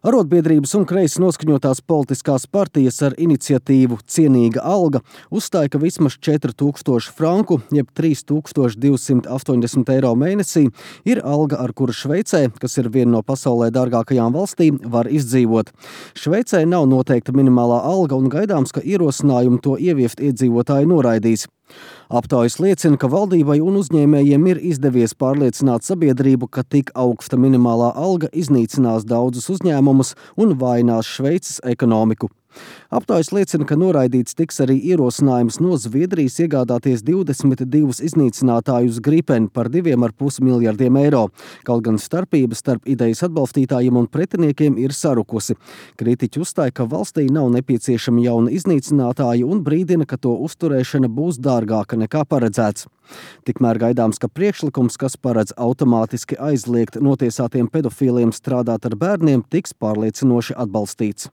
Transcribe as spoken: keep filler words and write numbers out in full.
Arotbiedrības un kreisi noskaņotās politiskās partijas ar iniciatīvu Cienīga alga uzstāja, ka vismaz četri tūkstoši franku, jeb trīs tūkstoši divsimt astoņdesmit eiro mēnesī, ir alga, ar kuru Šveicē, kas ir viena no pasaulē dārgākajām valstīm, var izdzīvot. Šveicē nav noteikta minimālā alga un gaidāms, ka ierosinājumu to ieviest iedzīvotāji noraidīs. Aptaujas liecina, ka valdībai un uzņēmējiem ir izdevies pārliecināt sabiedrību, ka tik augsta minimālā alga iznīcinās daudzus uzņēmumus un vājinās Šveices ekonomiku. Aptaujas liecina, ka noraidīts tiks arī ierosinājums no Zviedrijas iegādāties divdesmit divus iznīcinātājus Gripen par diviem ar pus miljardiem eiro. Kaut gan starpība starp idejas atbalstītājiem un pretiniekiem ir sarukusi. Kritiķi uzstāja, ka valstī nav nepieciešami jauni iznīcinātāji un brīdina, ka to uzturēšana būs dārgāka nekā paredzēts. Tikmēr gaidāms, ka priekšlikums, kas paredz automātiski aizliegt notiesātiem pedofīliem strādāt ar bērniem, tiks pārliecinoši atbalstīts.